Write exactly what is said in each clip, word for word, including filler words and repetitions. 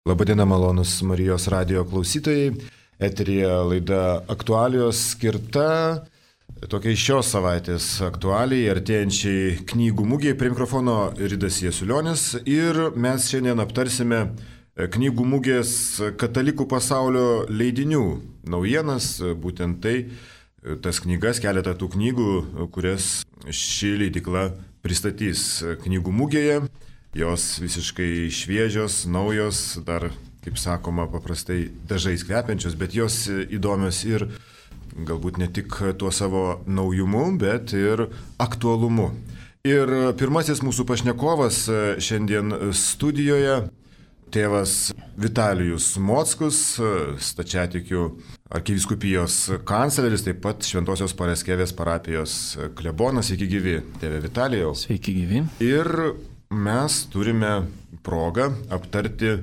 Labadiena, malonus Marijos radijo klausytojai. Eteryje laida Aktualijos skirta tokiai šios savaitės aktualiai artėjančiai knygų mugėje. Prie mikrofono Ridas Jasiulionis ir mes šiandien aptarsime knygų mugės katalikų pasaulio leidinių naujienas. Būtent tai, tas knygas, keletą tų knygų, kurias ši leidykla pristatys knygų mugėje. Jos visiškai šviežios, naujos, dar, kaip sakoma, paprastai dažais kvepiančios, bet jos įdomios ir galbūt ne tik tuo savo naujumu, bet ir aktualumu. Ir pirmasis mūsų pašnekovas šiandien studijoje tėvas Vitalijus Mockus, stačiatikių arkivyskupijos kancleris, taip pat Šventosios Pareskevės parapijos klebonas. Sveiki gyvi, tėve Vitalijau. Sveiki gyvi. Ir mes turime progą aptarti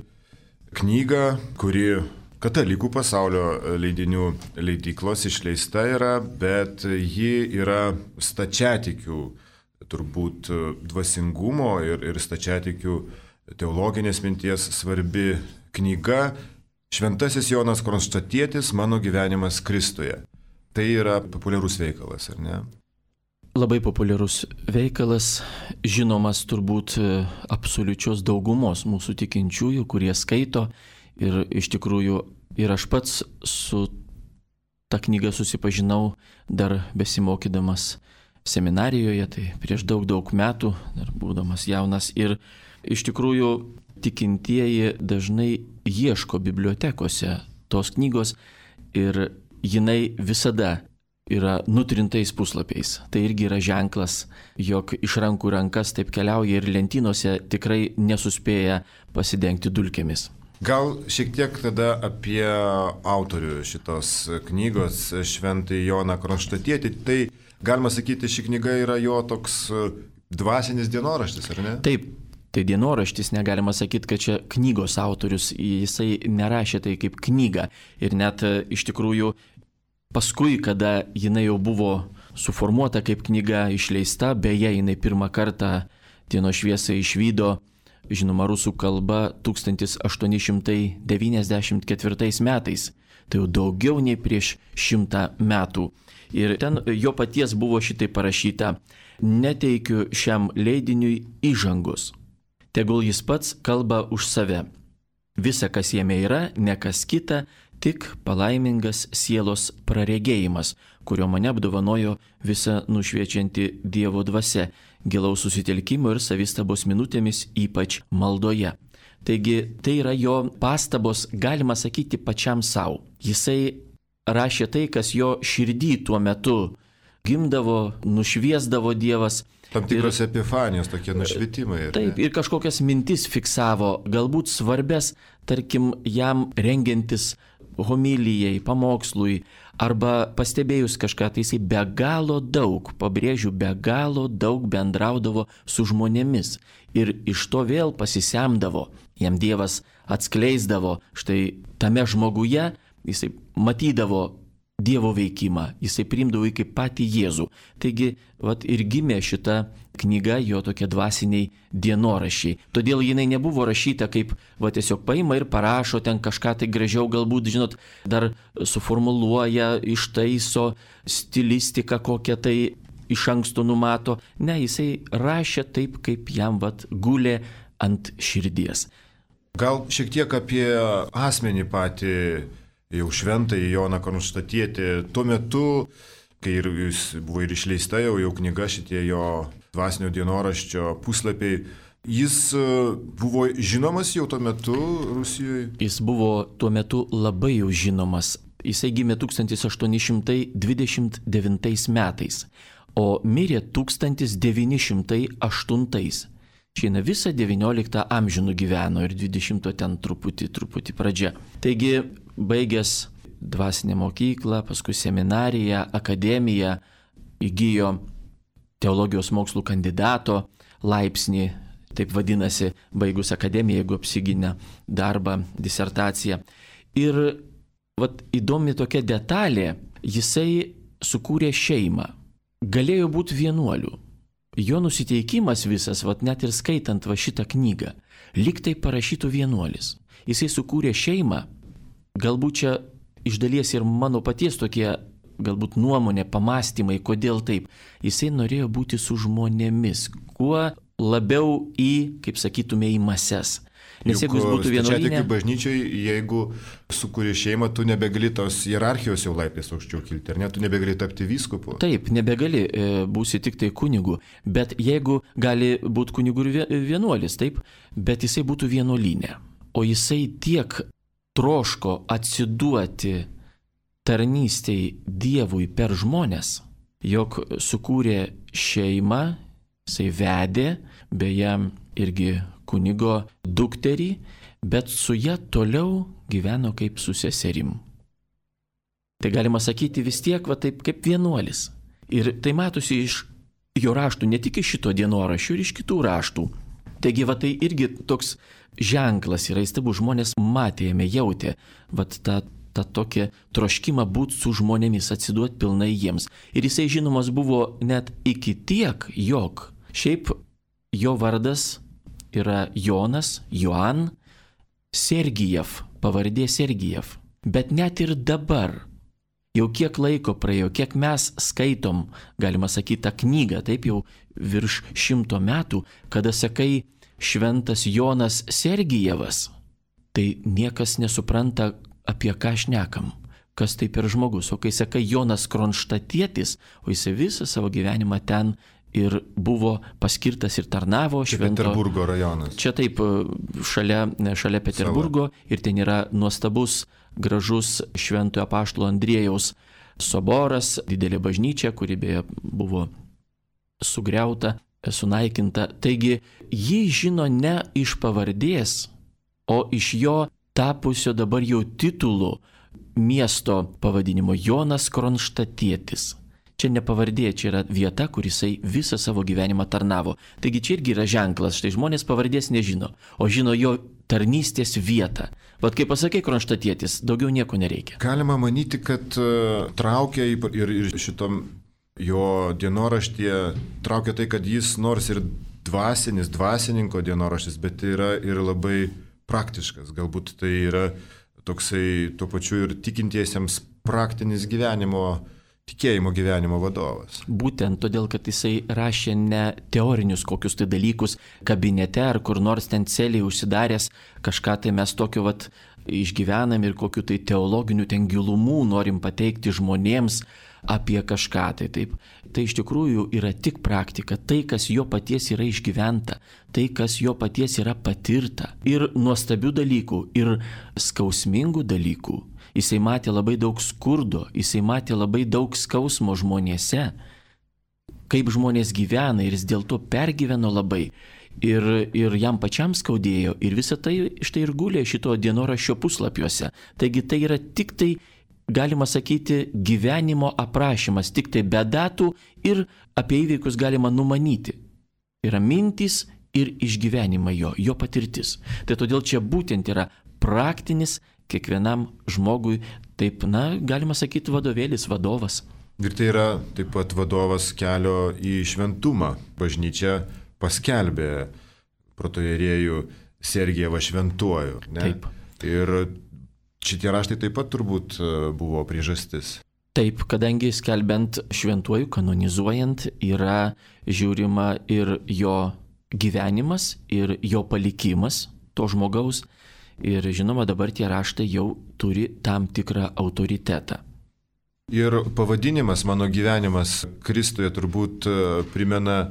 knygą, kuri katalikų pasaulio leidinių leidyklos išleista yra, bet ji yra stačiatikių turbūt dvasingumo ir, ir stačiatikių teologinės minties svarbi knyga Šventasis Jonas Kronštatietis, mano gyvenimas Kristuje. Tai yra populiarus veikalas, ar ne? Labai populiarus veikalas, žinomas turbūt absoliučios daugumos mūsų tikinčiųjų, kurie skaito. Ir iš tikrųjų ir aš pats su ta knyga susipažinau dar besimokydamas seminarijoje, tai prieš daug daug metų, dar būdamas jaunas. Ir iš tikrųjų tikintieji dažnai ieško bibliotekose tos knygos ir jinai visada yra nutrintais puslapiais. Tai irgi yra ženklas, jog iš rankų rankas taip keliauja ir lentynose tikrai nesuspėja pasidengti dulkėmis. Gal šiek tiek tada apie autorių šitos knygos, Šventąjį Joną Kronštatietį. Tai galima sakyti, ši knyga yra jo toks dvasinis dienoraštis, ar ne? Taip. Tai dienoraštis, negalima sakyti, kad čia knygos autorius, jisai nerašė tai kaip knygą. Ir net iš tikrųjų paskui, kada jinai jau buvo suformuota kaip knyga išleista, beje, jinai pirmą kartą dienos šviesą išvydo, žinoma, rusų kalba tūkstantis aštuoni šimtai devyniasdešimt ketvirtais metais. Tai jau daugiau nei prieš šimtą metų. Ir ten jo paties buvo šitai parašyta: neteikiu šiam leidiniui įžangos. Tegul jis pats kalba už save. Visa, kas jame yra, ne kas kita, tik palaimingas sielos praregėjimas, kurio mane apdovanojo visa nušviečianti Dievo dvasia, gilaus susitelkimo ir savistabos minutėmis, ypač maldoje. Taigi tai yra jo pastabos, galima sakyti, pačiam savo. Jisai rašė tai, kas jo širdį tuo metu gimdavo, nušviesdavo Dievas. Tam tikros ir, epifanijos, tokie nušvitimai. Ir taip, ne? Ir kažkokias mintis fiksavo, galbūt svarbės, tarkim, jam rengiantis homilijai, pamokslui, arba pastebėjus kažką, tai jisai be galo daug, pabrėžiu, be galo daug bendraudavo su žmonėmis. Ir iš to vėl pasisemdavo, jam Dievas atskleisdavo, štai tame žmoguje jisai matydavo Dievo veikimą, jisai priimdavo į kaip patį Jėzų. Taigi, vat ir gimė šita knyga, jo tokie dvasiniai dienoraščiai. Todėl jinai nebuvo rašyta kaip, va tiesiog paima ir parašo ten kažką tai gražiau, galbūt, žinot, dar suformuluoja, ištaiso, stilistiką kokią tai iš anksto numato. Ne, jisai rašė taip, kaip jam vat gulė ant širdies. Gal šiek tiek apie asmenį patį, jau Šventąjį Joną Kronštatietį. Tuo metu, kai ir jis buvo ir išleista jau, jau knyga, šitie jo dvasinio dienoraščio puslapiai, jis buvo žinomas jau tuo metu Rusijoje? Jis buvo tuo metu labai jau žinomas. Jisai gimė tūkstantis aštuoni šimtai dvidešimt devintais metais, o mirė tūkstantis devyni šimtai aštuntais. Šiandien visą devynioliktą amžių nugyveno ir dvidešimto ten truputį, truputį pradžia. Taigi, baigęs dvasinę mokyklą, paskui seminariją, akademiją, įgijo teologijos mokslų kandidato laipsnį, taip vadinasi, baigus akademiją, jeigu apsigynė darbą, disertaciją. Ir vat, įdomi tokia detalė, jisai sukūrė šeimą. Galėjo būti vienuolių. Jo nusiteikimas visas, vat net ir skaitant va šitą knygą, lyg tai parašytų vienuolis. Jisai sukūrė šeimą. Galbūt čia iš dalies ir mano paties tokie, galbūt nuomonė, pamastymai, kodėl taip. Jisai norėjo būti su žmonėmis, kuo labiau į, kaip sakytume, į mases. Nes Juk jeigu jis būtų vienuolyne... Stačiatikių bažnyčiai, jeigu sukūrė šeimą, tu nebegali tos hierarchijos jau laiptais aukščiau kilti, ar ne? Tu nebegali tapti vyskupu. Taip, nebegali, būsi tik tai kunigu. Bet jeigu gali būti kunigu ir vienuolis, taip, bet jisai būtų vienuolyne. O jisai tiek troško atsiduoti tarnystei Dievui per žmonės, jog sukūrė šeimą, jisai vedė, beje, irgi kunigo dukterį, bet su ja toliau gyveno kaip su seserim. Tai galima sakyti vis tiek, va taip kaip vienuolis. Ir tai matosi iš jo raštų, ne tik iš šito dienoraščio, ir iš kitų raštų. Taigi va tai irgi toks ženklas yra įstabus, žmonės matė, jame jautė, va tą, tą tokį troškimą būti su žmonėmis, atsiduoti pilnai jiems. Ir jisai žinomas buvo net iki tiek, jog šiaip jo vardas yra Jonas, Joan, Sergijev, pavardė Sergijev. Bet net ir dabar, jau kiek laiko praėjo, kiek mes skaitom, galima sakyti, tą knygą, taip jau virš šimto metų, kada sakai šventas Jonas Sergijevas, tai niekas nesupranta, apie ką šnekam, kas tai per žmogus. O kai sakai Jonas Kronštatietis, o jis visą savo gyvenimą ten ir buvo paskirtas ir tarnavo švento... Peterburgo rajonas. Čia taip, šalia, šalia Peterburgo. Sava. Ir ten yra nuostabus, gražus šventojo apaštalo Andriejaus soboras, didelė bažnyčia, kuri beje buvo sugriauta, sunaikinta. Taigi, jį žino ne iš pavardės, o iš jo tapusio dabar jau titulų miesto pavadinimo Jonas Kronštatietis. Čia ne pavardė, čia yra vieta, kur jisai visą savo gyvenimą tarnavo. Taigi čia irgi yra ženklas, štai žmonės pavardės nežino, o žino jo tarnystės vietą. Vat kaip pasakė Kronštatietis, daugiau nieko nereikia. Galima manyti, kad uh, traukia ir, ir šitom jo dienoraštyje, traukia tai, kad jis nors ir dvasinis, dvasininko dienoraštis, bet yra ir labai praktiškas. Galbūt tai yra toksai tuo pačiu ir tikintiesiems praktinis gyvenimo tikėjimo gyvenimo vadovas. Būtent todėl, kad jisai rašė ne teorinius kokius tai dalykus kabinete ar kur nors ten celiai užsidaręs, kažką tai mes tokio vat išgyvenam ir kokiu tai teologiniu ten gilumų norim pateikti žmonėms apie kažką tai taip. Tai iš tikrųjų yra tik praktika, tai kas jo paties yra išgyventa, tai kas jo paties yra patirta. Ir nuostabių dalykų, ir skausmingų dalykų. Jisai matė labai daug skurdo, jisai matė labai daug skausmo žmonėse, kaip žmonės gyvena ir jis dėl to pergyveno labai. Ir, ir jam pačiam skaudėjo ir visą tai štai ir gulė šito dienoraščio puslapiuose. Taigi tai yra tik tai, galima sakyti, gyvenimo aprašymas, tik tai be datų ir apie įvykius galima numanyti. Yra mintys ir išgyvenimai jo, jo patirtis. Tai todėl čia būtent yra praktinis kiekvienam žmogui, taip, na, galima sakyti, vadovėlis, vadovas. Ir tai yra taip pat vadovas kelio į šventumą. Bažnyčia paskelbė protoierėjų Sergijevą šventuoju. Ne? Taip. Ir šitie raštai taip pat turbūt buvo priežastis. Taip, kadangi skelbiant šventuoju, kanonizuojant, yra žiūrima ir jo gyvenimas, ir jo palikimas to žmogaus. Ir žinoma, dabar tie raštai jau turi tam tikrą autoritetą. Ir pavadinimas Mano gyvenimas Kristuje turbūt primena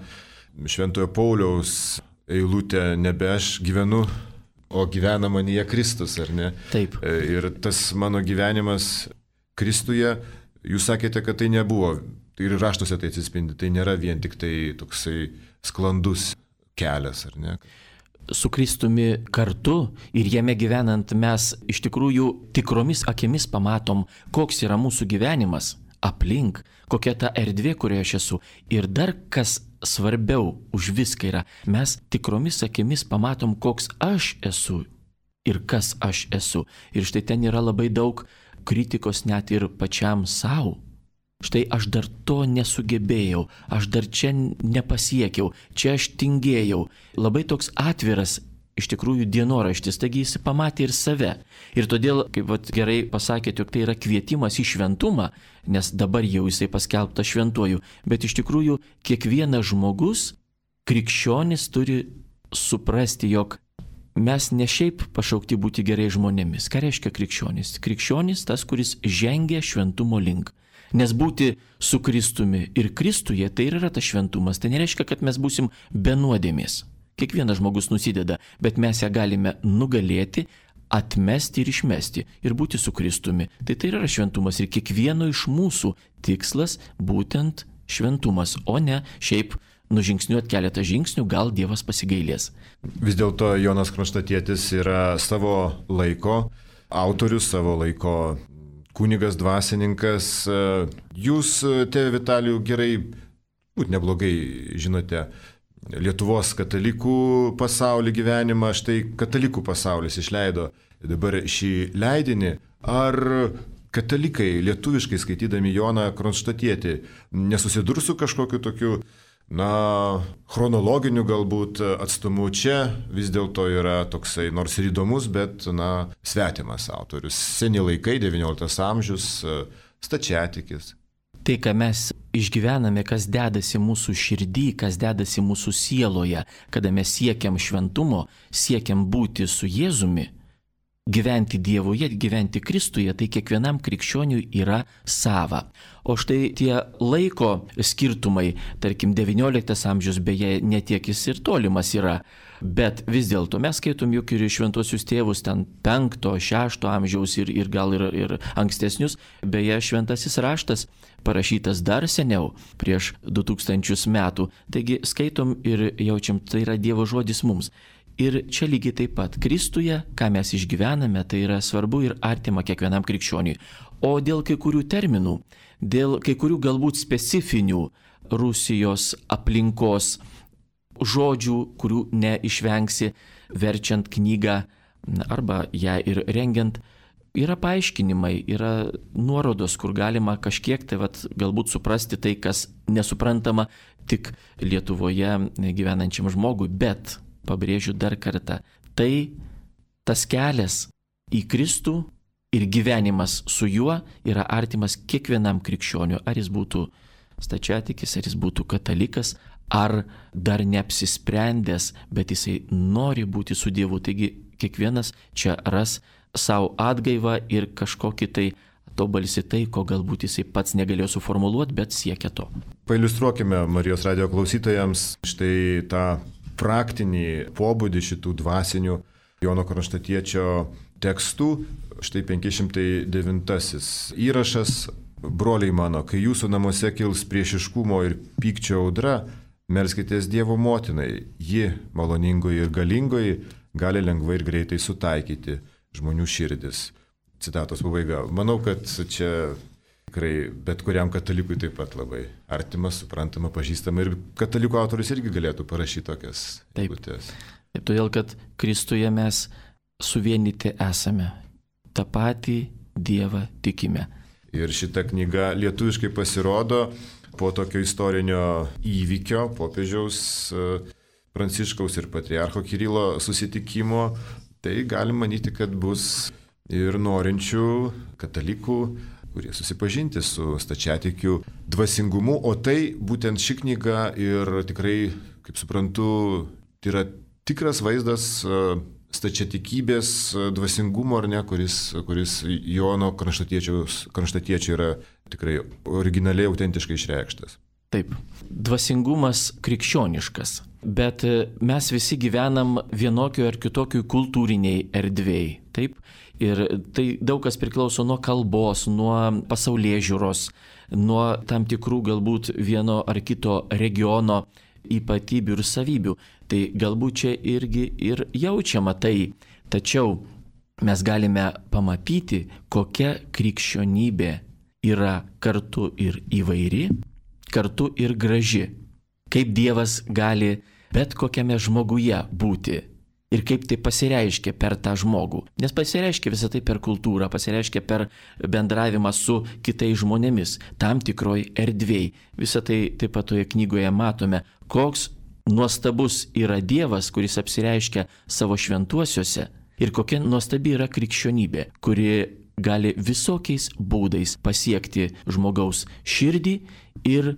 Šventojo Pauliaus eilutę Nebe aš gyvenu, o gyvena manyje Kristus, ar ne? Taip. Ir tas mano gyvenimas Kristuje, jūs sakėte, kad tai nebuvo, ir raštuose tai atsispindi, tai nėra vien tik tai toksai sklandus kelias, ar ne? Su Kristumi kartu ir jame gyvenant mes iš tikrųjų tikromis akimis pamatom, koks yra mūsų gyvenimas aplink, kokia ta erdvė, kurioje aš esu. Ir dar kas svarbiau už viską yra, mes tikromis akimis pamatom, koks aš esu ir kas aš esu. Ir štai ten yra labai daug kritikos net ir pačiam savo. Štai aš dar to nesugebėjau, aš dar čia nepasiekiau, čia aš tingėjau. Labai toks atviras iš tikrųjų dienoraštis, taigi jis pamatė ir save. Ir todėl, kaip vat, gerai pasakėte, jog tai yra kvietimas į šventumą, nes dabar jau jisai paskelbtas šventuoju, bet iš tikrųjų kiekvienas žmogus, krikščionis, turi suprasti, jog mes ne šiaip pašaukti būti gerai žmonėmis. Ką reiškia krikščionis? Krikščionis tas, kuris žengia šventumo link. Nes būti su Kristumi ir Kristuje tai yra tas šventumas. Tai nereiškia, kad mes būsim be nuodėmės. Kiekvienas žmogus nusideda, bet mes ją galime nugalėti, atmesti ir išmesti ir būti su Kristumi. Tai tai yra šventumas ir kiekvieno iš mūsų tikslas būtent šventumas, o ne šiaip nužingsniuoti keletą žingsnių, gal Dievas pasigailės. Vis dėlto Jonas Kronštatietis yra savo laiko autorius, savo laiko kunigas, dvasininkas. Jūs, tėve Vitalijau, gerai, būt neblogai žinote Lietuvos katalikų pasaulį gyvenimą. Štai katalikų pasaulis išleido dabar šį leidinį. Ar katalikai lietuviškai skaitydami Joną Kronštatietį nesusidurs su kažkokiu tokiu, na, chronologiniu galbūt atstumu? Čia vis dėlto yra toksai, nors ir įdomus, bet, na, svetimas autorius. Seni laikai, devynioliktas amžius, stačiatikis. Tai, ką mes išgyvename, kas dedasi mūsų širdį, kas dedasi mūsų sieloje, kada mes siekiam šventumo, siekiam būti su Jėzumi, gyventi Dievoje, gyventi Kristuje, tai kiekvienam krikščioniui yra sava. O štai tie laiko skirtumai, tarkim, devynioliktas amžius, beje, netiek jis ir tolimas yra, bet vis dėlto mes skaitom juk ir šventuosius tėvus ten penkto, šešto amžiaus ir, ir gal ir, ir ankstesnius, beje, šventasis raštas parašytas dar seniau, prieš du tūkstančius metų, taigi skaitom ir jaučiam, tai yra Dievo žodis mums. Ir čia lygiai taip pat Kristuje, ką mes išgyvename, tai yra svarbu ir artima kiekvienam krikščioniui. O dėl kai kurių terminų, dėl kai kurių galbūt specifinių Rusijos aplinkos žodžių, kurių neišvengsi verčiant knygą arba ją ir rengiant, yra paaiškinimai, yra nuorodos, kur galima kažkiek tai vat, galbūt suprasti tai, kas nesuprantama tik Lietuvoje gyvenančiam žmogui, bet pabrėžiu dar kartą, tai tas kelias į Kristų ir gyvenimas su juo yra artimas kiekvienam krikščioniui, ar jis būtų stačiatikis, ar jis būtų katalikas, ar dar neapsisprendęs, bet jisai nori būti su Dievu. Taigi kiekvienas čia ras savo atgaivą ir kažkokį tai tobalsi tai, ko galbūt jisai pats negalėjo suformuluoti, bet siekia to. Pailiustruokime Marijos radijo klausytojams štai tą praktinį pobūdį šitų dvasinių Jono Kronštatiečio tekstų. Štai penki šimtai devintasis įrašas. Broliai mano, kai jūsų namuose kils priešiškumo ir pykčio audra, melskitės Dievo motinai. Ji, maloningoji ir galingoji, gali lengvai ir greitai sutaikyti žmonių širdis. Citatos pabaiga. Manau, kad čia tikrai bet kuriam katalikui taip pat labai artimas, suprantama, pažįstama, ir katalikų autorius irgi galėtų parašyti tokias eilutes. Taip, todėl, kad Kristuje mes suvienyti esame, tą patį Dievą tikime. Ir šita knyga lietuviškai pasirodo po tokio istorinio įvykio, popiežiaus Pranciškaus ir patriarcho Kirilo susitikimo. Tai galim manyti, kad bus ir norinčių katalikų, kurie susipažinti su stačiatikių dvasingumu, o tai būtent ši knyga ir tikrai, kaip suprantu, tai yra tikras vaizdas stačiatikybės dvasingumo, ar ne, kuris, kuris Jono Kronštatiečio yra tikrai originaliai, autentiškai išreikštas. Taip, dvasingumas krikščioniškas, bet mes visi gyvenam vienokio ar kitokio kultūriniai erdvėjai, taip? Ir tai daug kas priklauso nuo kalbos, nuo pasaulėžiūros, nuo tam tikrų galbūt vieno ar kito regiono ypatybių ir savybių. Tai galbūt čia irgi ir jaučiama tai. Tačiau mes galime pamatyti, kokia krikščionybė yra kartu ir įvairi, kartu ir graži. Kaip Dievas gali bet kokiame žmoguje būti. Ir kaip tai pasireiškia per tą žmogų. Nes pasireiškia visą tai per kultūrą, pasireiškia per bendravimą su kitais žmonėmis, tam tikroj erdvėj. Visą tai taip pat toje knygoje matome, koks nuostabus yra Dievas, kuris apsireiškia savo šventuosiuose, ir kokia nuostabi yra krikščionybė, kuri gali visokiais būdais pasiekti žmogaus širdį ir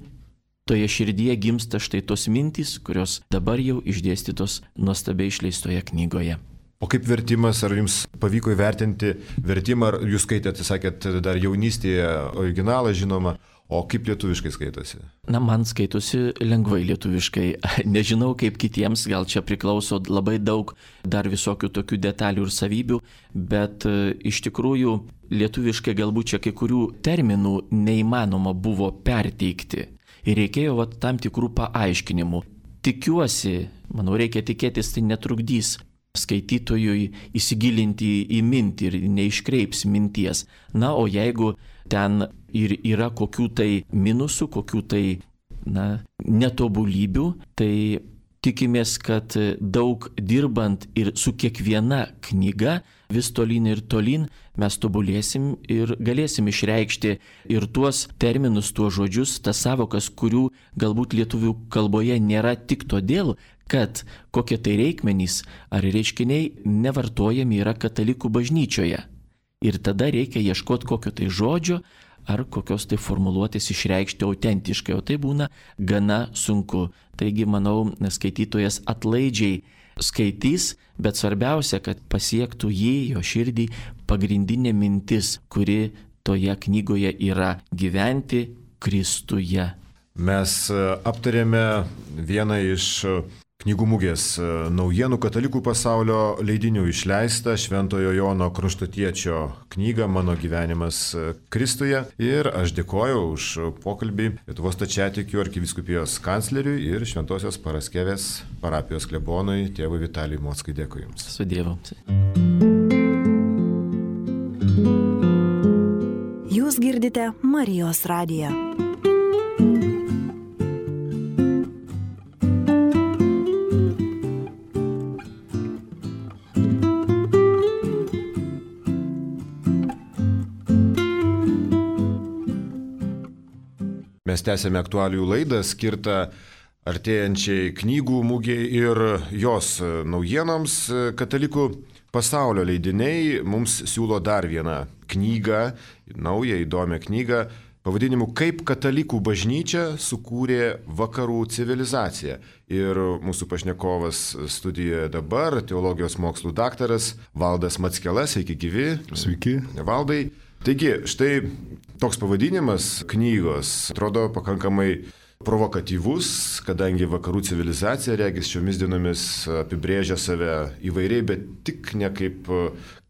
toje širdyje gimsta štai tos mintys, kurios dabar jau išdėstytos nuostabiai išleistoje knygoje. O kaip vertimas, ar jums pavyko įvertinti vertimą, ar jūs skaitėte, sakėt, dar jaunystėje originalą žinoma, o kaip lietuviškai skaitosi? Na, man skaitosi lengvai lietuviškai. Nežinau, kaip kitiems, gal čia priklauso labai daug dar visokių tokių detalių ir savybių, bet iš tikrųjų lietuviškai galbūt čia kai kurių terminų neįmanoma buvo perteikti. Ir reikėjo va, tam tikrų paaiškinimų. Tikiuosi, manau, reikia tikėtis, tai netrukdys skaitytojui įsigilinti į mintį ir neiškreips minties. Na, o jeigu ten ir yra kokių tai minusų, kokių tai, na, netobulybių, tai tikimės, kad daug dirbant ir su kiekviena knyga vis tolyn ir tolyn mes tobulėsim ir galėsim išreikšti ir tuos terminus, tuos žodžius, tas savokas, kurių galbūt lietuvių kalboje nėra tik todėl, kad kokie tai reikmenys ar reiškiniai nevartojami yra katalikų bažnyčioje. Ir tada reikia ieškoti kokio tai žodžio ar kokios tai formuluotės išreikšti autentiškai, o tai būna gana sunku. Taigi, manau, skaitytojas atlaidžiai skaitys, bet svarbiausia, kad pasiektų jį, jo širdį, pagrindinė mintis, kuri toje knygoje yra gyventi Kristuje. Mes aptarėme vieną iš knygų mugės naujienų katalikų pasaulio leidinių išleistą Šventojo Jono Kronštatiečio knygą Mano gyvenimas Kristuje. Ir aš dėkoju už pokalbį Lietuvos Stačiatikių arkivyskupijos kancleriui ir Šventosios Paraskevės parapijos klebonui tėvui Vitalijui Mockai. Dėkui Jums. Su Dievu. Jūs girdite Marijos radiją. Mes tęsėme aktualijų laidą skirtą artėjančiai knygų mugei ir jos naujienoms. Katalikų pasaulio leidiniai mums siūlo dar vieną knygą, naują įdomią knygą, pavadinimu Kaip katalikų bažnyčia sukūrė vakarų civilizaciją. Ir mūsų pašnekovas studijoje dabar, teologijos mokslų daktaras Valdas Mackelas. Sveiki gyvi. Sveiki. Valdai. Taigi, štai toks pavadinimas knygos atrodo pakankamai provokatyvus, kadangi vakarų civilizacija, regis, šiomis dienomis apibrėžia save įvairiai, bet tik ne kaip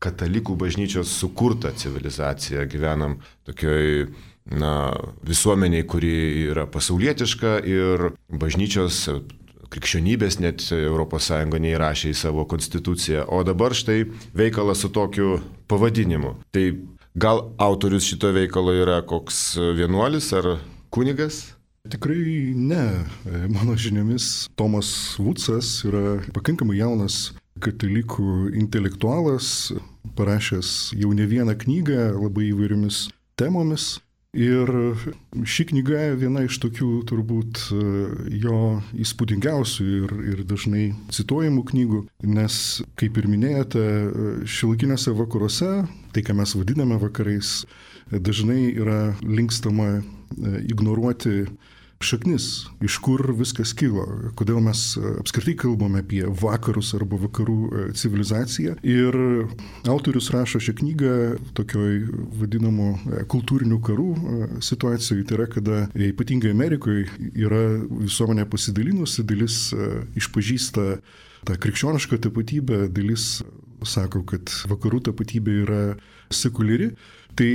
katalikų bažnyčios sukurta civilizacija. Gyvenam tokioj, na, visuomeniai, kuri yra pasaulietiška ir bažnyčios krikščionybės net Europos Sąjunga neįrašė į savo konstituciją. O dabar štai veikalas su tokiu pavadinimu. Tai gal autorius šito veikalo yra koks vienuolis ar kunigas? Tikrai ne. Mano žiniomis Tomas Vucas yra pakankamai jaunas katalikų intelektualas, parašęs jau ne vieną knygą labai įvairiomis temomis. Ir ši knyga viena iš tokių turbūt jo įspūdingiausių ir, ir dažnai cituojamų knygų, nes, kaip ir minėjote, šiuolaikiniuose vakaruose, tai ką mes vadiname vakarais, dažnai yra linkstama ignoruoti šaknis, iš kur viskas kilo, kodėl mes apskritai kalbame apie vakarus arba vakarų civilizaciją. Ir autorius rašo šią knygą tokioj vadinamų kultūrinių karų situacijai, tai yra, kada ypatingai Amerikoje yra visuomenė pasidalinusi, dalis išpažįsta tą krikščionišką tapatybę, dalis sako, kad vakarų tapatybė yra sekuliari. Tai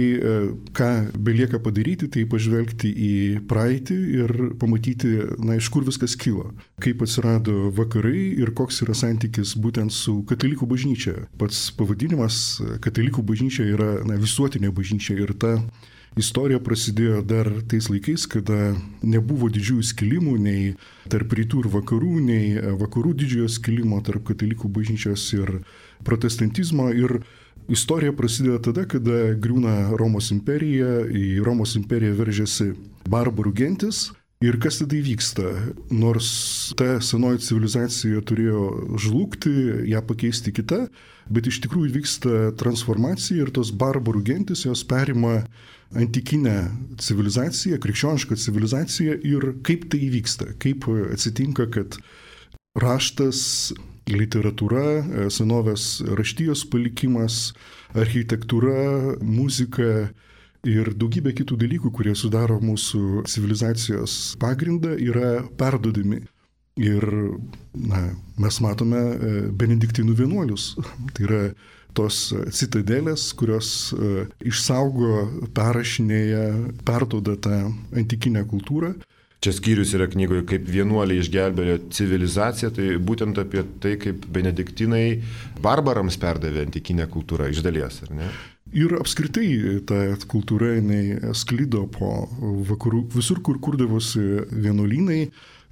ką belieka padaryti, tai pažvelgti į praeitį ir pamatyti, na, iš kur viskas kilo, kaip atsirado vakarai ir koks yra santykis būtent su katalikų bažnyčia. Pats pavadinimas katalikų bažnyčia yra, na, visuotinė bažnyčia ir ta istorija prasidėjo dar tais laikais, kada nebuvo didžiųjų skilimų nei tarp rytų ir vakarų, nei vakarų didžiojo skilimo tarp katalikų bažnyčios ir protestantizmo. Ir istorija prasidėjo tada, kada griūna Romos imperija, į Romos imperiją veržiasi barbarų gentis Ir kas tada įvyksta? Nors ta senoji civilizacija turėjo žlugti, ją pakeisti kitą, bet iš tikrųjų vyksta transformacija ir tos barbarų gentis jos perima antikinę civilizaciją, krikščionišką civilizaciją ir kaip tai įvyksta, kaip atsitinka, kad raštas, literatūra, senovės raštijos palikimas, architektūra, muzika ir daugybė kitų dalykų, kurie sudaro mūsų civilizacijos pagrindą, yra perduodami. Ir na, mes matome benediktinų vienuolius. Tai yra tos citadelės, kurios išsaugo, perrašinėja, perduoda tą antikinę kultūrą. Čia skyrius yra knygoje, kaip vienuoliai išgelbėjo civilizaciją, tai būtent apie tai, kaip benediktinai barbarams perdavė antikinę kultūrą iš dalies, ar ne? Ir apskritai ta kultūra jinai sklido po vakarų, visur, kur kurdavosi vienuolynai,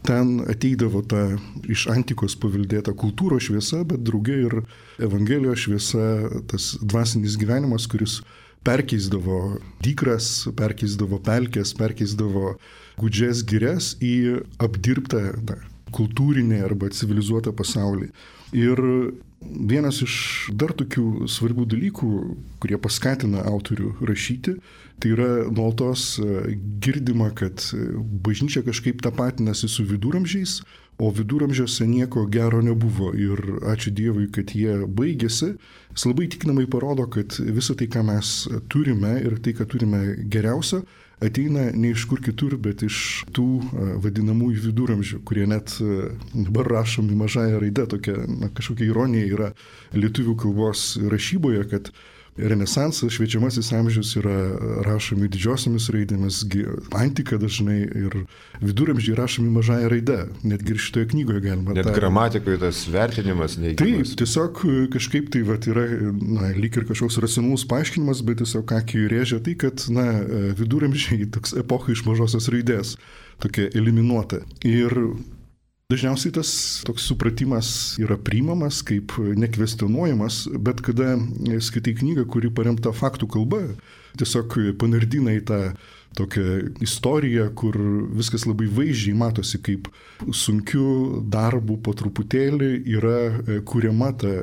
ten ateidavo ta iš antikos paveldėta kultūros šviesa, bet draugė ir Evangelijos šviesa, tas dvasinis gyvenimas, kuris perkeisdavo dykras, perkeisdavo pelkes, perkeisdavo gūdžias girias į apdirbtą na, kultūrinį arba civilizuotą pasaulį. Ir vienas iš dar tokių svarbių dalykų, kurie paskatina autorių rašyti, tai yra nuolatos girdima, kad bažnyčia kažkaip tapatinasi su viduramžiais, o viduramžiuose nieko gero nebuvo. Ir ačiū Dievui, kad jie baigėsi. Jis labai tikinamai parodo, kad visą tai, ką mes turime ir tai, ką turime geriausio, ateina ne iš kur kitur, bet iš tų vadinamųjų viduramžių, kurie net dabar rašomi mažąją raidę, tokia na, kažkokia ironija yra lietuvių kalbos rašyboje, kad Renesansas, šviečiamasis amžius yra rašomi didžiosiomis raidėmis, antika dažnai ir viduramžiai rašomi mažąją raidę. Netgi ir šitoje knygoje galima. Net tą... gramatikoje tas vertinimas neigiamas. Taip, tiesiog kažkaip tai vat, yra na, lyg ir kažkoks racionalus paaiškinimas, bet tiesiog akį rėžia tai, kad na, viduramžiai toks epocha iš mažosios raidės, tokia eliminuota. Ir dažniausiai tas toks supratimas yra priimamas kaip nekvestionuojamas, bet kada skaitai knygą, kuri paremta faktų kalba, tiesiog panardina į tą tokią istoriją, kur viskas labai vaizdžiai matosi, kaip sunkiu darbu po truputėlį yra kuriama ta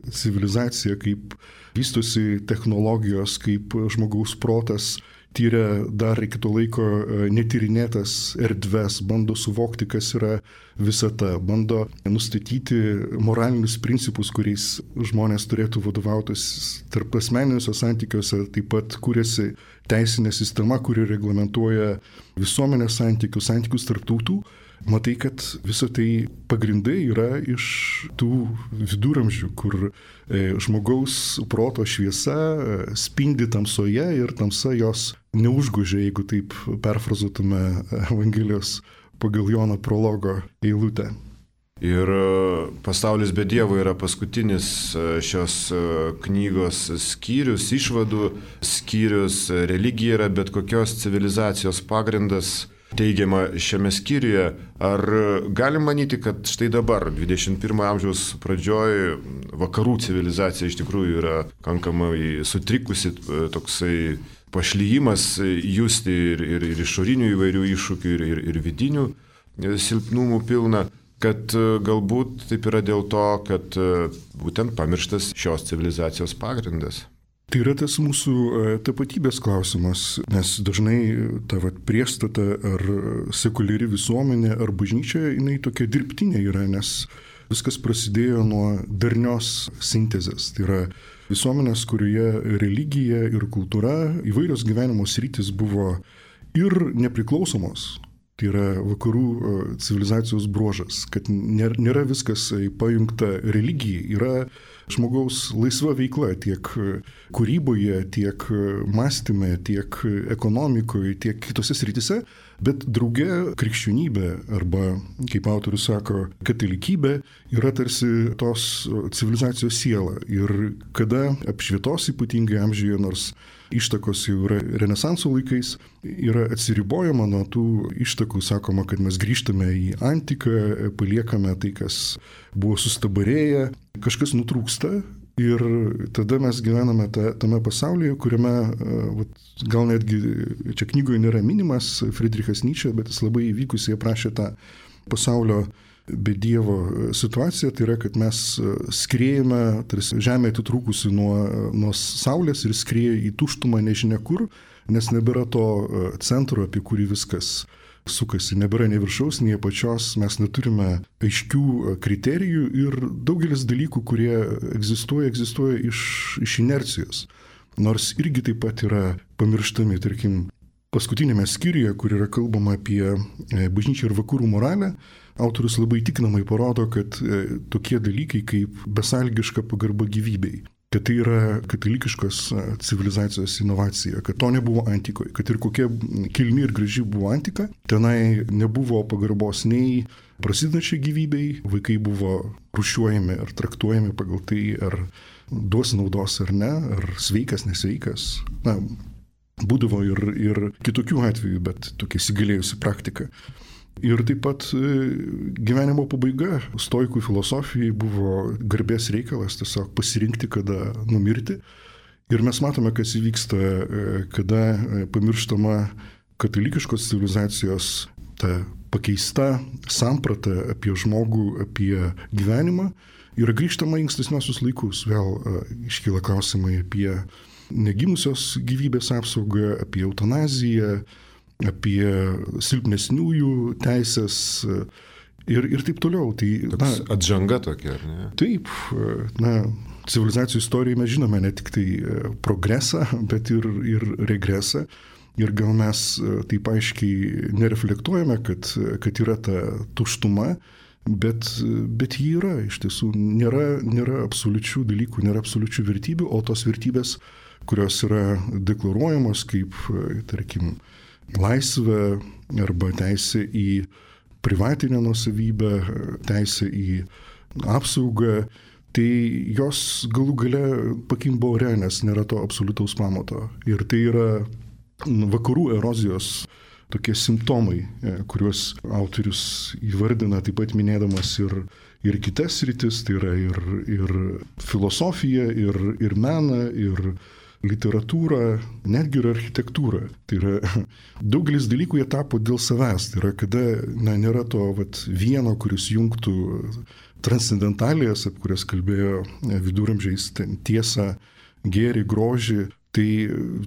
civilizacija, kaip vystosi technologijos, kaip žmogaus protas tyria dar iki to laiko netyrinėtas erdves, bando suvokti, kas yra visata, bando nustatyti moralinius principus, kuriais žmonės turėtų vadovautis tarp asmeniniuose santykiuose, taip pat kūrėsi teisinė sistema, kuri reglamentuoja visuomenės santykius, santykius tarp tautų. Matai, kad visą tai pagrindai yra iš tų viduramžių, kur žmogaus proto šviesa spindi tamsoje ir tamsa jos neužgožia, jeigu taip perfrazuotume Evangelijos pagal Jono prologo eilutę. Ir Pasaulis be Dievo yra paskutinis šios knygos skyrius, išvadų skyrius, religija yra bet kokios civilizacijos pagrindas. Teigiama šiame skyriuje, ar galim manyti, kad štai dabar, dvidešimt pirmo amžiaus pradžioj, vakarų civilizacija iš tikrųjų yra kankamai sutrikusi, toksai pašlyjimas justi ir, ir, ir išorinių įvairių iššūkių, ir, ir, ir vidinių silpnumų pilna, kad galbūt taip yra dėl to, kad būtent pamirštas šios civilizacijos pagrindas. Tai yra tas mūsų tapatybės klausimas, nes dažnai ta vat, priešstata ar sekuliari visuomenė ar bažnyčia, jinai tokia dirbtinė yra, nes viskas prasidėjo nuo darnios sintezės. Tai yra visuomenės, kurioje religija ir kultūra, įvairios gyvenimo sritys buvo ir nepriklausomos. Tai yra vakarų civilizacijos bruožas, kad nėra viskas pajungta religijai, yra žmogaus laisva veikla tiek kūryboje, tiek mąstyme, tiek ekonomikoje, tiek kitose srityse, bet drauge krikščionybė arba, kaip autorius sako, katalikybė yra tarsi tos civilizacijos siela. Ir kada apšvietos ypatingai amžiuje, nors ištakos jau yra Renesanso laikais, yra atsiribojama nuo tų ištakų, sakoma, kad mes grįžtame į antiką, paliekame tai, kas buvo sustabarėję, kažkas nutrūksta Ir tada mes gyvename ta, tame pasaulyje, kuriame, vat, gal netgi čia knygoje nėra minimas Friedrichas Nyčė, bet jis labai įvykusiai aprašė tą pasaulio be Dievo situaciją. Tai yra, kad mes skriejame, tarsi žemė atitrūkusi nuo, nuo saulės ir skrieja į tuštumą nežinia kur, nes nebėra to centro, apie kurį viskas sukasi, nebėra nei viršaus, nei apačios, mes neturime aiškių kriterijų ir daugelis dalykų, kurie egzistuoja, egzistuoja iš, iš inercijos. Nors irgi taip pat yra pamirštami, tarkim, paskutinėme skyriuje, kur yra kalbama apie bažnyčią ir vakarų moralę, autorius labai tikinamai parodo, kad tokie dalykai kaip besąlygiška pagarba gyvybei, kad tai yra katalikiškos civilizacijos inovacija, kad to nebuvo antikoje, kad ir kokia kilni ir graži buvo antika, tenai nebuvo pagarbos nei prasidedančiai gyvybei, vaikai buvo rūšiuojami ar traktuojami pagal tai, ar duos naudos ar ne, ar sveikas, nesveikas. Na, būdavo ir, ir kitokių atvejų, bet tokia įsigalėjusi praktika. Ir taip pat gyvenimo pabaiga stoikų filosofijai buvo garbės reikalas tiesiog pasirinkti, kada numirti. Ir mes matome, kas įvyksta, kada pamirštama katalikiškos civilizacijos ta pakeista samprata apie žmogų, apie gyvenimą. Ir grįžtama į ankstesniosius laikus. Vėl iškyla klausimai apie negimusios gyvybės apsaugą, apie eutanaziją, apie silpnesniųjų teisės ir, ir taip toliau. Tai, na, atžanga tokia, ar ne? Taip, na, civilizacijų istorijoje mes žinome ne tik tai progresą, bet ir, ir regresą. Ir gal mes taip aiškiai nereflektuojame, kad, kad yra ta tuštuma, bet, bet ji yra. Iš tiesų nėra, nėra absoliučių dalykų, nėra absoliučių vertybių, o tos vertybės, kurios yra deklaruojamos kaip, tarkim, laisvę arba teisę į privatinę nuosavybę, teisę į apsaugą, tai jos galų gale pakimba ore, nes nėra to absoliutaus pamato. Ir tai yra vakarų erozijos tokie simptomai, kuriuos autorius įvardina, taip pat minėdamas ir, ir kitas sritis, tai yra ir, ir filosofija, ir, ir meną, ir literatūrą, netgi ir architektūrą. Tai yra daugelis dalykų jie tapo dėl savęs. Tai yra, kada na, nėra to vat, vieno, kuris jungtų transcendentalijas, apie kurias kalbėjo viduramžiais, tiesą, gėrį, grožį. Tai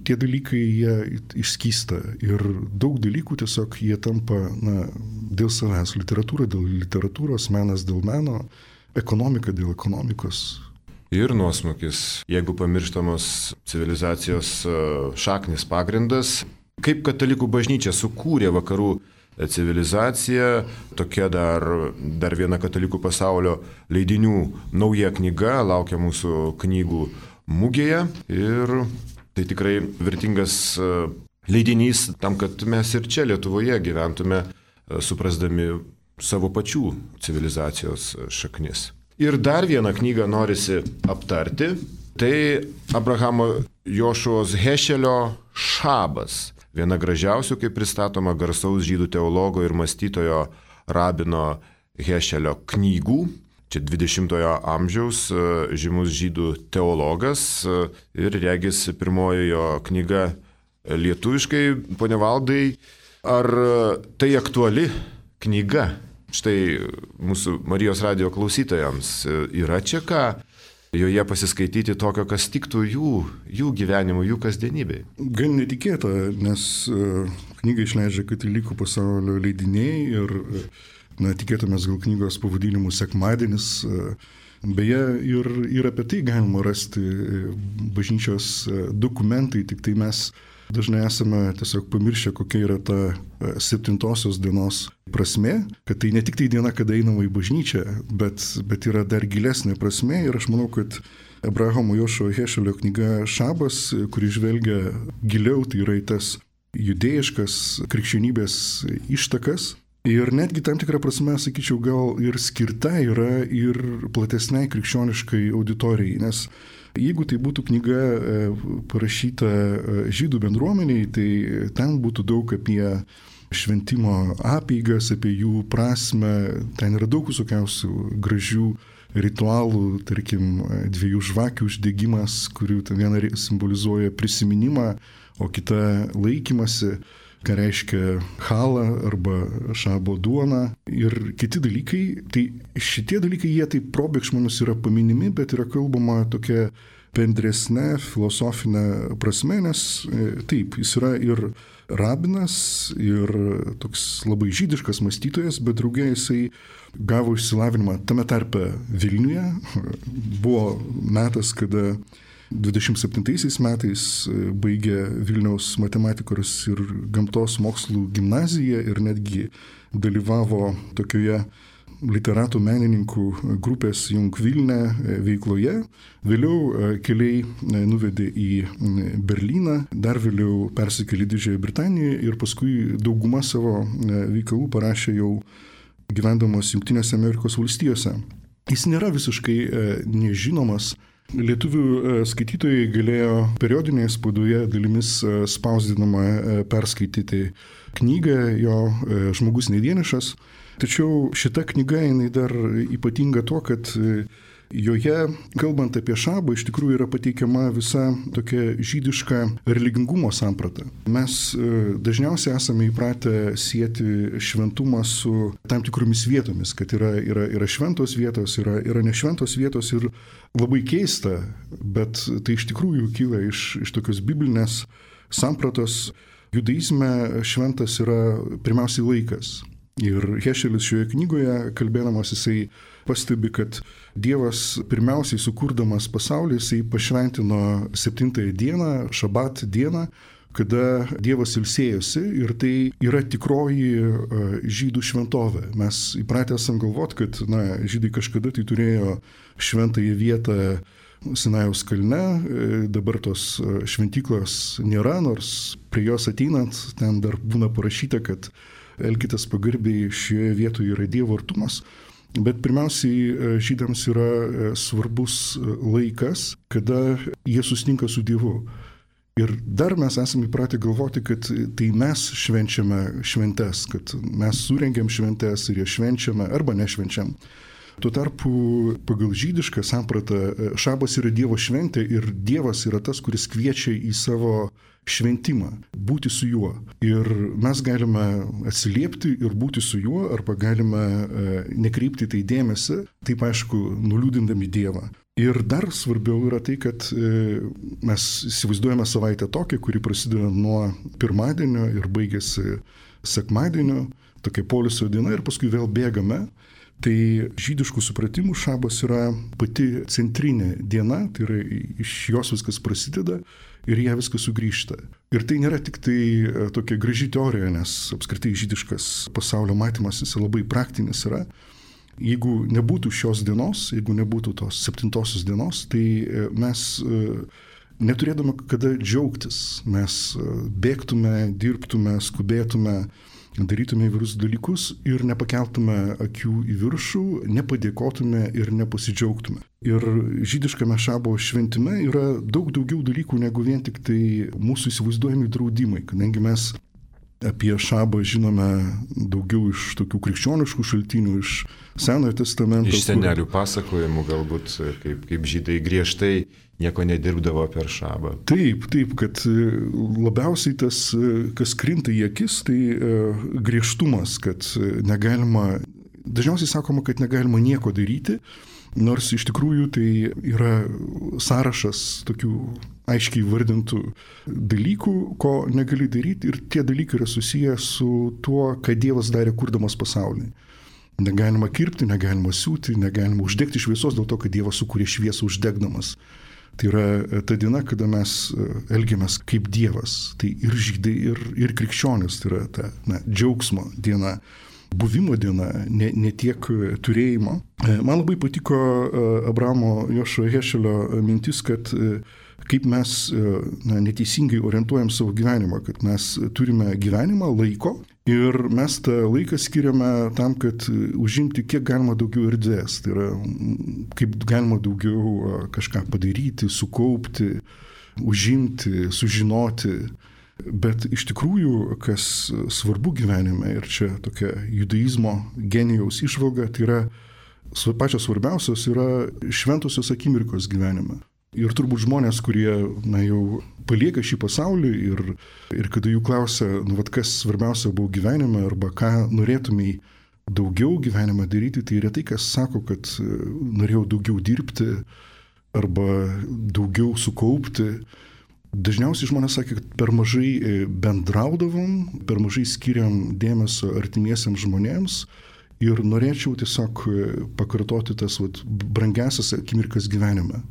tie dalykai jie išskysta ir daug dalykų tiesiog jie tampa na, dėl savęs. Literatūra dėl literatūros, menas dėl meno, ekonomika dėl ekonomikos. Ir nuosmukis, jeigu pamirštamos civilizacijos šaknis pagrindas. Kaip katalikų bažnyčia sukūrė vakarų civilizaciją, tokia dar, dar viena katalikų pasaulio leidinių nauja knyga, laukia mūsų knygų mugėje. Ir tai tikrai vertingas leidinys tam, kad mes ir čia Lietuvoje gyventume, suprasdami savo pačių civilizacijos šaknis. Ir dar vieną knygą norisi aptarti, tai Abrahamo Jošuos Hešelio Šabas. Viena gražiausių, kaip pristatoma, garsaus žydų teologo ir mąstytojo rabino Hešelio knygų. Čia dvidešimtojo amžiaus žymus žydų teologas ir regis pirmoji jo knyga lietuviškai. Pone Valdai, ar tai aktuali knyga? Štai mūsų Marijos radijo klausytojams yra čia ką joje pasiskaityti tokio, kas tiktų jų, jų gyvenimui, jų kasdienybei. Gan netikėta, nes knygą išleidžia katalikų pasaulio leidiniai ir na, tikėtumės gal knygos pavadinimu Sekmadienis. Beje, ir, ir apie tai galima rasti bažnyčios dokumentai, tik tai mes dažnai esame tiesiog pamiršę, kokia yra ta septintosios dienos prasmė, kad tai ne tik tai diena, kada einama į bažnyčią, bet, bet yra dar gilesnė prasmė. Ir aš manau, kad Abrahamo Jošuo Hešelio knyga Šabas, kuri žvelgia giliau, tai yra į tas judėjiškas krikščionybės ištakas. Ir netgi tam tikrą prasme, sakyčiau, gal ir skirta yra ir platesniai krikščioniškai auditorijai, nes jeigu tai būtų knyga parašyta žydų bendruomeniai, tai ten būtų daug apie šventimo apeigas, apie jų prasmę, ten yra daug visokiausių gražių ritualų, tarkim, dviejų žvakių uždegimas, kurių viena simbolizuoja prisiminimą, o kita laikymasi, ką reiškia chalą arba šabo duona ir kiti dalykai. Tai šitie dalykai, jie taip probėgšmanus yra paminimi, bet yra kalbama tokia bendresnė filosofinė prasme, nes taip, jis yra ir rabinas, ir toks labai žydiškas mąstytojas, bet draugė jisai gavo išsilavinimą tame tarpe Vilniuje. Buvo metas, kada dvidešimt septintaisiais metais baigė Vilniaus matematikos ir gamtos mokslų gimnaziją ir netgi dalyvavo tokioje literatų menininkų grupės Jung Vilne veikloje. Vėliau keliai nuvedė į Berlyną, dar vėliau persikėlė į Didžiąją Britaniją ir paskui daugumą savo veikalų parašė jau gyvendamas Jungtinėse Amerikos valstijose. Jis nėra visiškai nežinomas. Lietuvių skaitytojai galėjo periodinėje spaudoje dalimis spausdinamą perskaityti knygą jo Žmogus nevienišas. Tačiau šita knyga jinai dar ypatinga tuo, kad joje, kalbant apie šabą, iš tikrųjų yra pateikiama visa tokia žydiška religingumo samprata. Mes dažniausiai esame įpratę sieti šventumą su tam tikromis vietomis, kad yra, yra, yra šventos vietos, yra, yra nešventos vietos ir labai keista, bet tai iš tikrųjų kyla iš, iš tokios biblinės sampratos. Judaizme šventas yra pirmiausiai laikas. Ir Hešelis šioje knygoje, kalbėdamas, jisai pastebi, kad Dievas pirmiausiai sukurdamas pasaulį, jisai pašventino septintąją dieną, šabat dieną, kada Dievas ilsėjosi ir tai yra tikroji žydų šventovė. Mes įpratę esam galvoti, kad na, žydai kažkada tai turėjo šventąją vietą Sinajaus kalne, dabar tos šventyklos nėra, nors prie jos ateinant ten dar būna parašyta, kad elkitės pagarbiai, šioje vietoje yra Dievo artumas, bet pirmiausiai žydams yra svarbus laikas, kada jie susitinka su Dievu. Ir dar mes esame įpratę galvoti, kad tai mes švenčiame šventes, kad mes surengiam šventes ir jas švenčiame arba nešvenčiam. Tuo tarpu pagal žydišką sampratą šabas yra Dievo šventė ir Dievas yra tas, kuris kviečia į savo šventimą, būti su juo. Ir mes galime atsiliepti ir būti su juo, arba galime nekreipti tai dėmesį, taip aišku, nuliūdindami Dievą. Ir dar svarbiau yra tai, kad mes įsivaizduojame savaitę tokią, kuri prasideda nuo pirmadienio ir baigėsi sekmadienio, tokia poilsio diena ir paskui vėl bėgame. Tai žydiškų supratimų šabas yra pati centrinė diena, tai yra iš jos viskas prasideda ir ją viskas sugrįžta. Ir tai nėra tik tai tokia graži teorija, nes apskritai žydiškas pasaulio matymas jis labai praktinis yra. Jeigu nebūtų šios dienos, jeigu nebūtų tos septintosios dienos, tai mes neturėtume kada džiaugtis. Mes bėgtume, dirbtume, skubėtume, darytume įvairius dalykus ir nepakeltume akių į viršų, nepadėkotume ir nepasidžiaugtume. Ir žydiškame šabo šventime yra daug daugiau dalykų negu vien tik tai mūsų įsivaizduojami draudimai, kadangi mes apie šabą žinome daugiau iš tokių krikščioniškų šaltinių, iš Senojo testamento. Iš senelių pasakojimų galbūt, kaip, kaip žydai griežtai nieko nedirbdavo per šabą. Taip, taip, kad labiausiai tas, kas krinta į akis, tai griežtumas, kad negalima, dažniausiai sakoma, kad negalima nieko daryti, nors iš tikrųjų tai yra sąrašas tokių aiškiai vardintų dalykų, ko negali daryti, ir tie dalykai yra susiję su tuo, ką Dievas darė kurdamas pasaulį. Negalima kirpti, negalima siūti, negalima uždegti šviesos dėl to, kad Dievas sukūrė šviesą uždegdamas. Tai yra ta diena, kada mes elgiamės kaip Dievas. Tai ir žydai, ir, ir krikščionis, tai yra ta na, džiaugsmo diena, buvimo diena, ne, ne tiek turėjimo. Man labai patiko Abramo Jošo Hešelio mintis, kad kaip mes na, neteisingai orientuojam savo gyvenimą, kad mes turime gyvenimą, laiko ir mes tą laiką skiriame tam, kad užimti kiek galima daugiau erdvės. Tai yra kaip galima daugiau kažką padaryti, sukaupti, užimti, sužinoti. Bet iš tikrųjų, kas svarbu gyvenime, ir čia tokia judaizmo genijaus išvalga, tai yra pačios svarbiausios yra šventosios akimirkos gyvenime. Ir turbūt žmonės, kurie na, jau palieka šį pasaulį ir, ir kada jų klausia, nu, vat, kas svarbiausia buvo gyvenime arba ką norėtumai daugiau gyvenime daryti, tai retai kas sako, kad norėjau daugiau dirbti arba daugiau sukaupti. Dažniausiai žmonės sakė, kad per mažai bendraudavom, per mažai skiriam dėmesio artimiesiams žmonėms ir norėčiau tiesiog pakartoti tas vat, brangiausias akimirkas gyvenime.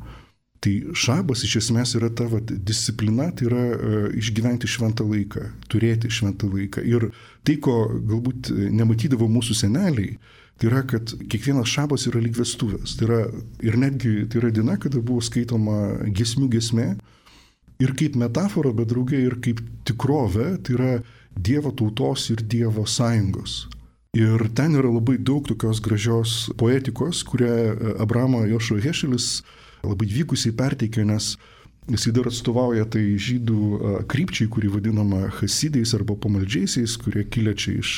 Tai šabas iš esmės yra ta vat, disciplina, tai yra uh, išgyventi šventą laiką, turėti šventą laiką. Ir tai, ko galbūt nematydavo mūsų seneliai, tai yra, kad kiekvienas šabas yra lyg vestuvės. Tai yra, ir netgi tai yra diena, kada buvo skaitoma giesmių giesmė. Ir kaip metafora, bet drauge ir kaip tikrovė, tai yra Dievo tautos ir Dievo sąjungos. Ir ten yra labai daug tokios gražios poetikos, kurią Abramo Jošua Hešelis labai vykusiai perteikė, nes jisai dar atstovauja tai žydų krypčiai, kuri vadinama hasidais arba pamaldžiaisiais, kurie kilę čia iš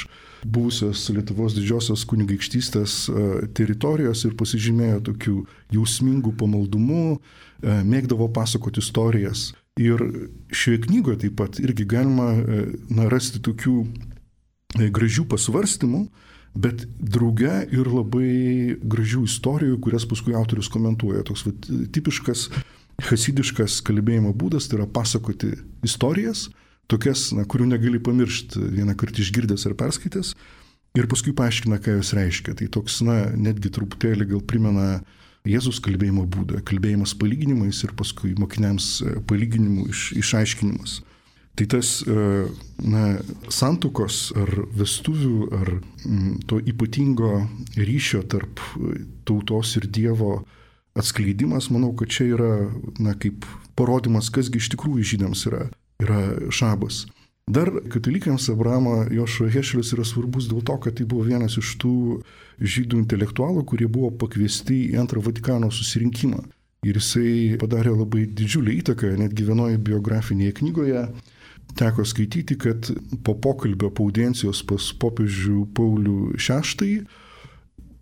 buvusios Lietuvos didžiosios kunigaikštystės teritorijos ir pasižymėjo tokių jausmingų pamaldumu, mėgdavo pasakoti istorijas. Ir šioje knygoje taip pat irgi galima na, rasti tokių gražių pasvarstymų, bet drauge ir labai gražių istorijų, kurias paskui autorius komentuoja. Toks vat, tipiškas hasidiškas kalbėjimo būdas, tai yra pasakoti istorijas, tokias, na, kurių negali pamiršti vieną kartą išgirdęs ar perskaitęs, ir paskui paaiškina, ką jos reiškia. Tai toks, na, netgi truputėlį gal primena Jėzus kalbėjimo būdą, kalbėjimas palyginimais ir paskui mokiniams palyginimų iš, išaiškinimas. Tai tas na, santuokos ar vestuvių ar m, to ypatingo ryšio tarp tautos ir Dievo atskleidimas, manau, kad čia yra na, kaip parodimas, kasgi iš tikrųjų žydams yra, yra šabas. Dar katalikams Abramo Jošua Hešelis yra svarbus dėl to, kad tai buvo vienas iš tų žydų intelektualų, kurie buvo pakviesti į antrą Vatikano susirinkimą. Ir jisai padarė labai didžiulį įtaką, netgi vienoje biografinėje knygoje teko skaityti, kad po pokalbio, po audiencijos pas popiežių Paulių šeštąjį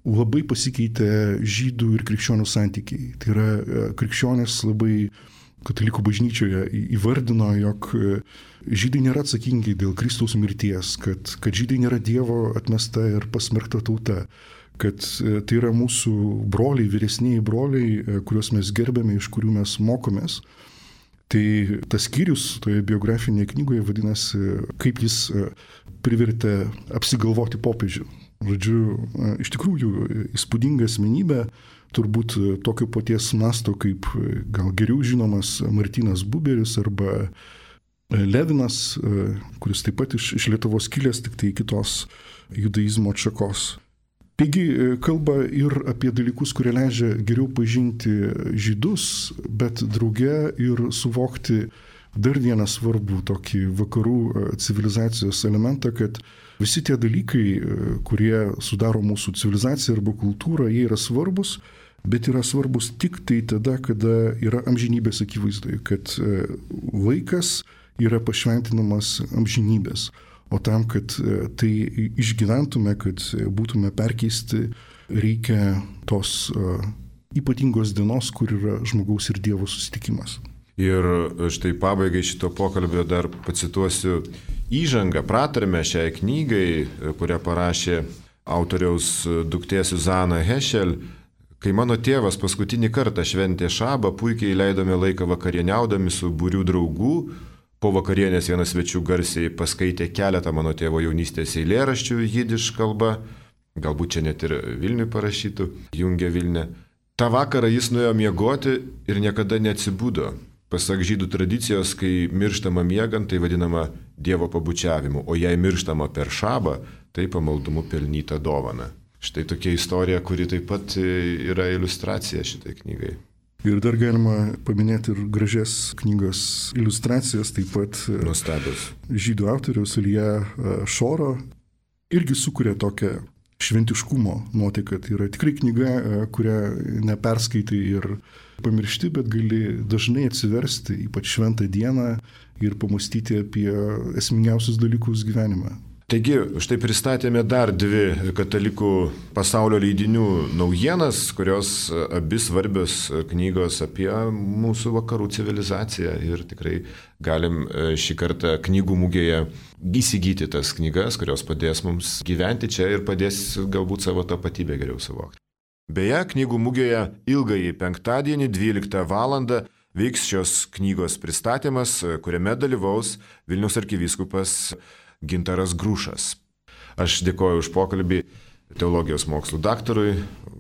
labai pasikeitė žydų ir krikščionių santykiai. Tai yra krikščionys labai katalikų bažnyčioje įvardino, jog žydai nėra atsakingi dėl Kristaus mirties, kad, kad žydai nėra Dievo atmesta ir pasmerkta tauta, kad tai yra mūsų broliai, vyresniai broliai, kuriuos mes gerbėme, iš kurių mes mokomės. Tai tas skyrius toje biografinėje knygoje vadinasi, kaip jis privertė apsigalvoti popiežių. Žodžiu, iš tikrųjų įspūdinga asmenybė, turbūt tokio paties masto kaip gal geriau žinomas Martynas Buberis arba Levinas, kuris taip pat iš, iš Lietuvos kilęs, tik tai kitos judaizmo atšakos. Taigi kalba ir apie dalykus, kurie leidžia geriau pažinti žydus, bet drauge ir suvokti dar vieną svarbų tokį vakarų civilizacijos elementą, kad visi tie dalykai, kurie sudaro mūsų civilizaciją arba kultūrą, jie yra svarbus, bet yra svarbus tik tai tada, kada yra amžinybės akivaizdoje, kad laikas yra pašventinamas amžinybės. O tam, kad tai išgyventume, kad būtume perkeisti, reikia tos uh, ypatingos dienos, kur yra žmogaus ir Dievo susitikimas. Ir štai pabaigai šito pokalbio dar pacituosiu įžangą, pratarmę šiai knygai, kurią parašė autoriaus duktė Suzana Hešel. Kai mano tėvas paskutinį kartą šventė šabą, puikiai leidome laiką vakarieniaudami su būrių draugų. Po vakarienės vienas svečių garsiai paskaitė keletą mano tėvo jaunystės eilėraščių jidiš kalba, galbūt čia net ir Vilniui parašytų, Jungė Vilnė. Ta vakarą jis nuėjo miegoti ir niekada neatsibudo. Pasak žydų tradicijos, kai mirštama miegant, tai vadinama Dievo pabučiavimu, o jei mirštama per šabą, tai pamaldumu pelnyta dovana. Štai tokia istorija, kuri taip pat yra iliustracija šitai knygai. Ir dar galima paminėti ir gražias knygos iliustracijas, taip pat nuostabios. Žydų autoriaus Ilja Šoro irgi sukuria tokią šventiškumo nuotaiką. Tai yra tikrai knyga, kurią neperskaitai ir pamiršti, bet gali dažnai atsiversti, ypač šventą dieną, ir pamastyti apie esmingiausius dalykus gyvenime. Taigi, štai pristatėme dar dvi katalikų pasaulio leidinių naujienas, kurios abi svarbios knygos apie mūsų vakarų civilizaciją ir tikrai galim šį kartą knygų mugėje įsigyti tas knygas, kurios padės mums gyventi čia ir padės galbūt savo tapatybę geriau suvokti. Beje, knygų mugėje ilgąjį penktadienį dvyliktą valandą vyks šios knygos pristatymas, kuriame dalyvaus Vilniaus arkivyskupas Gintaras Grušas. Aš dėkoju už pokalbį teologijos mokslų daktarui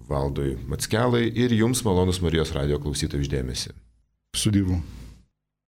Valdui Mackelai ir jums, malonus Marijos radijo klausytojų, už dėmesį. Su Dievu.